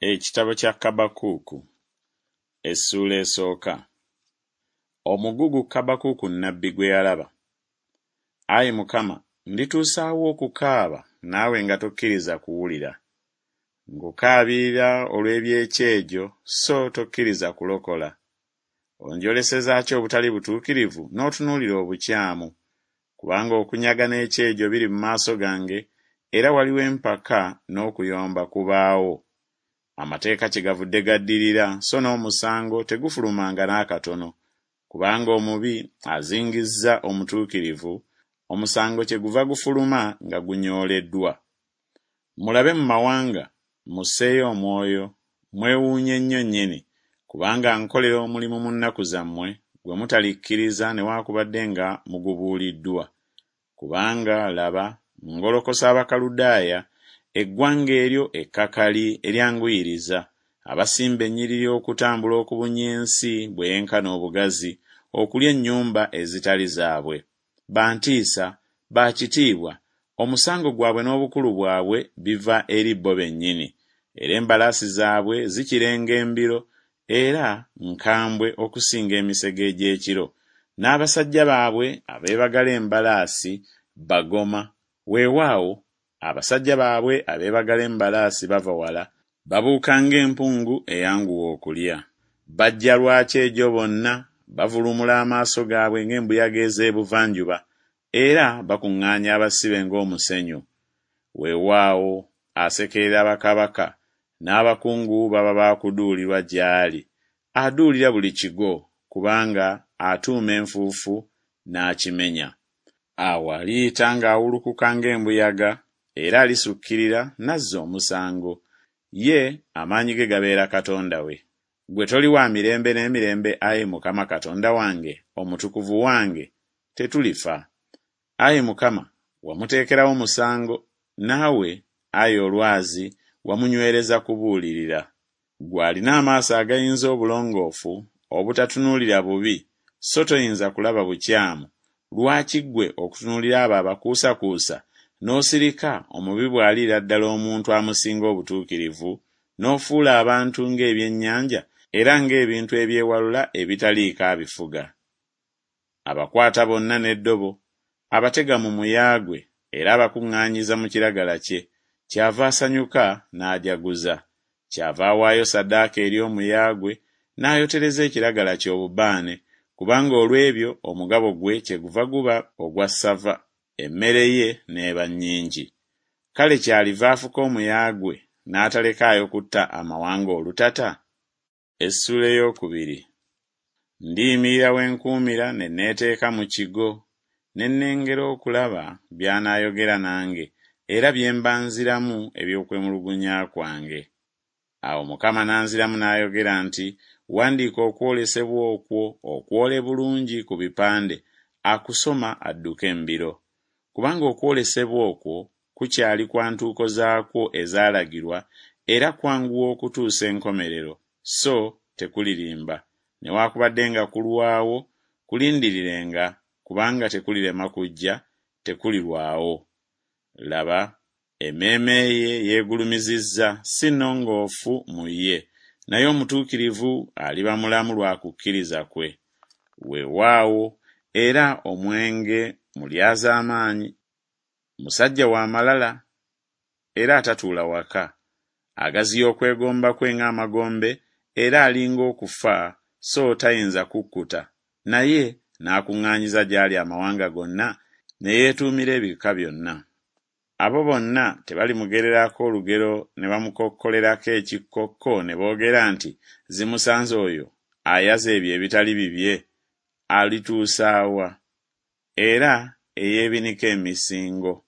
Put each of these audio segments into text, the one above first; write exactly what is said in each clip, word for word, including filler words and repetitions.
Ekitabo kya Kaabakuuku essuula esooka. Omugugu Kaabakuuku nnabbi gwe yalaba. Ayi Mukama, ndituusa wa okukaaba naawe nga tokkiriza kuwulira? Nkukaabirira olw'eby'ekyejo so tokkiriza kulokola. Onjoleseza ki obutali butuukirivu n'otunuulira obukyamu? Kubanga okunyaga n'ekyejo biri mu maaso gange, era waliwo empaka n'okuyomba kubaawo. Amateeka kyegavudde gaddirira so n'omusango tegufulumanga n'akatono. Kubanga omubi azingizza omutuukirivu, omusango kyeguva gufuluma nga gunyooleddwa. Mulabe mu mawanga, musseeyo omwoyo, mwewuunye nnyo nnyini, kubanga nkolera omulimu mu nnaku zammwe gwe mutalikkiriza newaakubadde nga mugubuuliddwa. Kubanga, laba, ngolokosa Abakaludaaya, eggwanga eryo ekkakali eryanguyiriza, abasimba ennyiriri okutambula okubunya ensi bwe yenkana obugazi, okulya ennyumba ezitali zaabwe. Ba ntiisa, ba kitiibwa, omusango gwabwe n'obukulu bwabwe biva eri bo bennyini, era embalaasi zaabwe zikirenga embiro, era nkambwe okusinga emisege egy'ekiro, n'abasajja baabwe abeebagala embalaasi bagoma, weewaawo, abasajja baabwe abeebagala embalaasi bava wala, babuuka ng'empungu eyanguwa okulya. Bajja lwa kyejo bonna, bavulumula amaaso gaabwe ng'embuyaga ez'ebuvanjuba, era bakuŋŋaanya abasibe ng'omusenyu. Weewaawo, asekerera bakabaka, n'abakungu baba ba kuduulirwa gy'ali. Aduulira buli kigo, kubanga atuuma enfuufu n'akimenya. Awo aliyita ng'awulukuka ng'embuyaga, era alisukkirira n'azza omusango. Ye amaanyi ge gabeera Katonda we. Ggwe toli wa mirembe n'emirembe, ayi Mukama Katonda wange, Omutukuvu wange, tetulifa. Ayi Mukama, wamuteekerawo musango, naawe, ayi Olwazi, wamunywereza kubuulirira. Ggwe alina amaaso agayinza obulongoofu, obutatunuulira bubi, so toyinza kulaba bukyamu, lwaki ggwe okutunuulira abo abakuusakuusa, n'osirika omubi bw'aliira ddala omuntu amusinga obutuukirivu, n'ofuula abantu ng'ebyennyanja era ng'ebintu ebyewalula ebitaliiko abifuga? Abakwata bonna n'eddobo, abatega mu muya gwe, era abakuŋŋaanyiza mu kiragala kye, kyava asanyuka n'ajaguza. Kyava awaayo ssaddaaka eri omuya gwe, n'ayotereza ekiragala kye obubaane, kubanga olw'ebyo omugabo gwe kyeguva guba ogwa ssava, emmere ye n'eba nnyingi. Kale kyaliva afuka omuya gwe, n'atalekaayo kutta amawanga olutata? Essuula ey'okubiri. Ndiyimirira we nkuumira ne neeteeka mu kigo, ne nnengera okulaba by'anaayogera nange, era bye mba nziramu eby'okwemulugunya kwange. Awo Mukama n'anziramu n'ayogera nti, Wandiika okwolesebwa okwo okwole bulungi ku bipande, akusoma adduke embiro. Kubanga okwolesebwa okwo kukyali kwa ntuuko zaakwo ezaalagirwa, era kwanguwa okutuusa enkomerero, so tekulirimba, newaakubadde nga kulwawo, kulindirirenga, kubanga tekulirema kujja, tekulirwawo. Laba, emmeeme ye yeegulumizizza, si nnongoofu mu ye, naye omutuukirivu aliba mulamu lwa kukkiriza kwe. Weewaawo, era omwenge mulyazaamaanyi, musajja wa malala era atatuula waka, agaziya okwegomba kwe ng'amagombe, era ali ng'okufa, so tayinza kukkuta, naye n'akuŋŋaanyiza gy'ali amawanga gonna, ne yeetuumira ebika byonna. Abo bonna tebalimugererako olugero ne bamukokkolerako ekikkokko ne boogera nti, Zimusanze oyo ayaza ebyo ebitali bibye, alituusa wa? Era eyeebinika emisingo.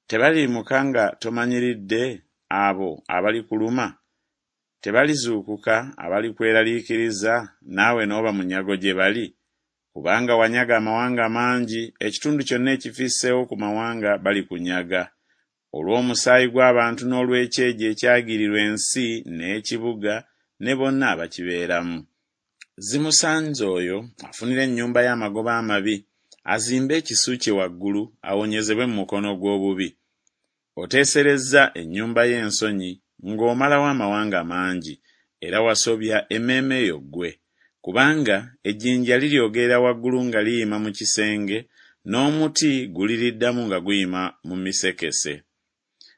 Tebaliyimuka nga tomanyiridde abo abalikuluma? Tebalizuukuka abalikweraliikiriza naawe n'oba munyago gye bali? Kubanga wanyaga amawanga mangi, ekitundu kyonna ekifisseewo ku mawanga balikunyaga. Olw'omusaayi gw'abantu n'olw'ekyejo ekyagirirwa ensi n'ekibuga ne bonna abakibeeramu. Zimusanze oyo afunira ennyumba ye amagoba amabi, azimbe ekisu kye waggulu, awonyezebwe mu mukono gw'obubi. Oteeserezza ennyumba ye ensonyi, ng'omalawo amawanga mangi, era wasobya emmeeme yo ggwe. Kubanga ejjinja liryogerera waggulu nga liyima mu kisenge, n'omuti guliriddamu nga guyima mu misekese.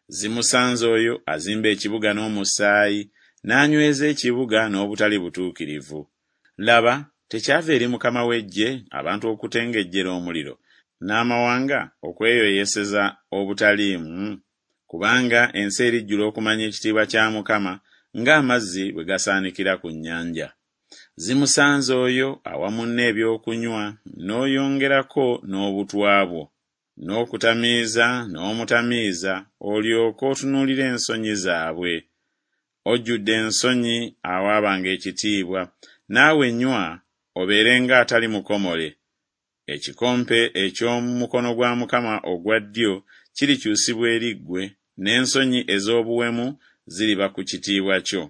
Zimusanze oyo azimba ekibuga n'omusaayi, n'anyweza ekibuga n'obutali butuukirivu. Laba, tekyava eri Mukama w'eggye abantu okutengejjera omuliro, n'amawanga okweyoyeseza obutaliimu? Kubanga ensi erijjula okumanya ekitiibwa kya Mukama, ng'amazzi bwe gasaanikira ku nnyanja. Zimusanze oyo awa munne ebyokunywa, n'oyongerako n'obutwa bwo, n'okutamiiza n'omutamiiza, olyoke otunuulire ensonyi zaabwe. Ojjudde ensonyi awaabanga ekitiibwa, naawe nywa obeere ng'atali mukomole. Ekikompe eky'omu mukono gwa Mukama ogwa ddyo kirikyusibwa eri ggwe, n'ensonyi ez'obuwemu ziriba ku kitiibwa kyo.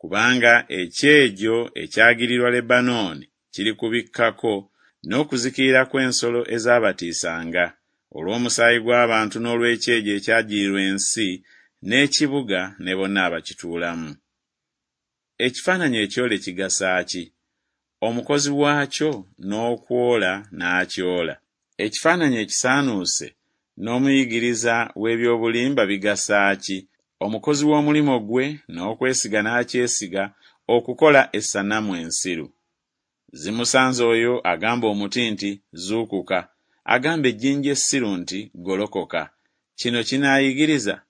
Kubanga ekyejo ekyagirirwa Lebanooni kirikubikkako, n'okuzikirira kw'ensolo ezaabatiisanga, olw'omusaayi gw'abantu n'olw'ekyejo ekyagirirwa ensi n'ekibuga ne bonna abakituulamu. Ekifaananyi ekyole kigasa ki? Omukozi waakyo n'okwola n'akyola. Ekifaananyi ekisaanuuse n'omuyigiriza w'ebyobulimba bigasa ki? Omukozi w'omulimu gwe n'okwesiga n'akyesiga okukola essanamu ensiru. Zimusanze oyo agamba omuti nti, Zuukuka, agamba ejjinja essiru nti, Golokoka. Kino kinaayigiriza?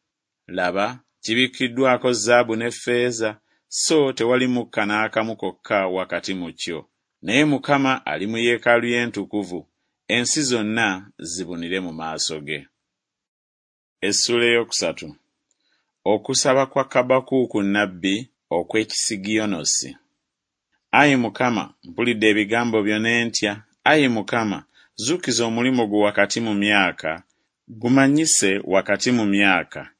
Laba, kibikkiddwako zaabu ne ffeeza, so tewali mukka n'akamu kokka wakati mu kyo. Naye Mukama ali mu yeekaalu ye entukuvu, ensi zonna zibunire mu maaso ge. Essuula ey'okusatu. Okusaba kwa Kabakuuku nnabbi okw'Ekisigiyonosi. Ayi Mukama, mpulidde ebigambo byo ne ntya. Ayi Mukama, zuukiza omulimu gwo wakati mu myaka, gumanyise wakati mu myaka.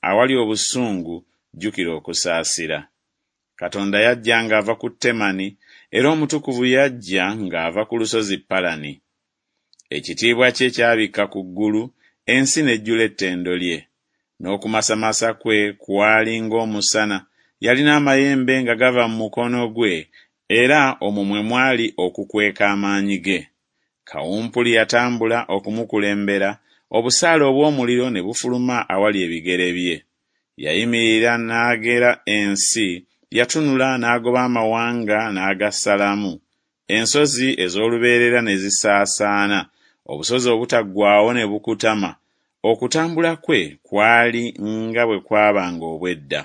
Awali obusungu, jjukira okusaasira. Katonda yajja ng'ava ku Temani, era Omutukuvu yajja ng'ava ku lusozi Palani. Ekitiibwa kye kyabikka ku ggulu, ensi n'ejjula ettendo lye. N'okumasamasa kwe kwali ng'omusana, yalina amayembe nga gava mu mukono gwe, era omwo mwe mwali okukweka amaanyi ge. Kawumpuli yatambula okumukulembera, obusaale obw'omuliro ne bufuluma awali ebigere bye. Yayimirira n'agera ensi, yatunula n'agoba amawanga n'agasalamu. Ensozi ez'olubeerera ne zisaasaana, obusozi obutaggwaawo ne bukutama. Okutambula kwe kwali nga bwe kwabanga obw'edda.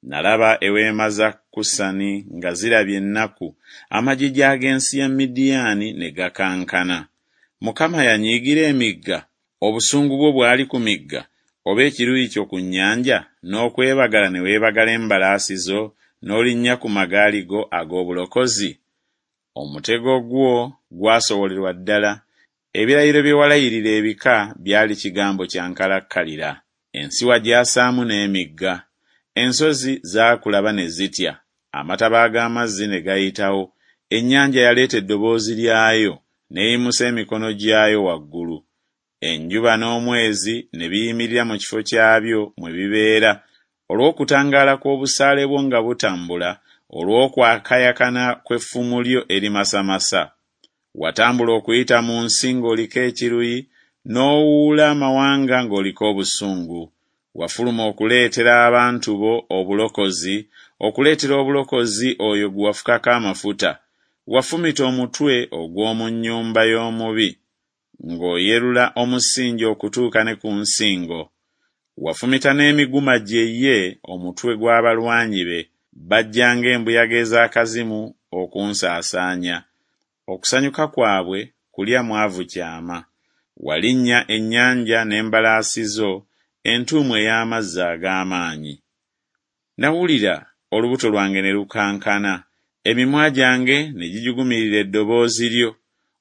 Nalaba eweema za Kusani nga zirabye ennaku, amagigi ag'ensi ya Midiyaani ne gakankana. Mukama yanyiigira emigga, obusungu bwo bwali ku migga, oba ekiruyi kyo ku nnyanja, n'okwebagala ne weebagala embalaasi zo, n'olinnya ku magaali go ag'obulokozi? Omutego gwo gwasowolerwa ddala, ebirayiro bye walayirira ebika byali kigambo kya nkalakkalira. Ensi wagyasaamu n'emigga. Ensozi zaakulaba ne zitya, amataba ag'amazzi ne gayitawo. Ennyanja yaleeta eddoboozi lyayo, n'eyimusa emikono gyayo waggulu. Enjuba n'omwezi ne biyimirira mu kifo kyabyo mwe bibeera, olw'okutangaala kw'obusaale bwo nga butambula, olw'okwakayakana kw'effumu lyo erimasamasa. Watambula okuyita mu nsi ng'oliko ekiruyi, n'owuula amawanga ng'oliko obusungu. Wafuluma okuleetera abantu bo obulokozi, okuleetera obulokozi oyo gwe wafukako amafuta. Wafumita omutwe ogw'omu nnyumba y'omubi, ng'oyerula omusingi okutuuka ne ku nsingo. Wafumita n'emiguma gye ye omutwe gw'abalwanyi be, bajja ng'embuyaga ez'akazimu okunsaasaanya. Okusanyuka kwabwe kulya mwavu kyama. Walinnya ennyanja n'embalaasi zo, entuumu ey'amazzi ag'amaanyi. Nawulira olubuto lwange ne lukankana, emimwa gyange ne gijugumirira eddoboozi lyo.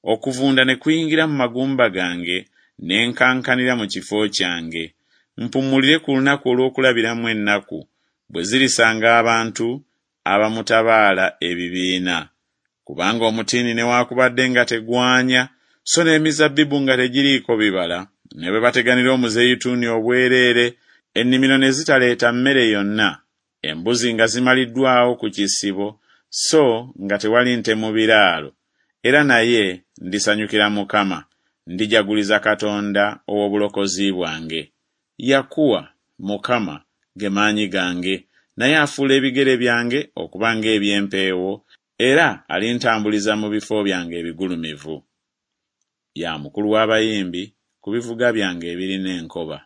Okuvunda ne kuyingira mu magumba gange, ne nkankanira mu kifo kyange. Mpummulire ku lunaku olw'okulabiramu ennaku, bwe zirisanga abantu abamutabaala ebibiina. Kubanga omutiini newaakubadde nga tegwanya, so n'emizabbibu nga tegiriiko bibala, ne bwe bateganira omuzeyituuni obwereere, Ennimiro ne zitaleeta mmere yonna, embuzi nga zimaliddwawo ku kisibo, so nga tewali nte mu biraalo, era naye ndisanyukira Mukama, ndijaguliza Katonda ow'obulokozi bwange. Yakuwa, Mukama, ge maanyi gange, naye afuula ebigere byange okuba ng'eby'empeewo, era alintambuliza mu bifo byange ebigulumivu. Ya mukulu w'abayimbi ku bivuga byange ebirina enkoba.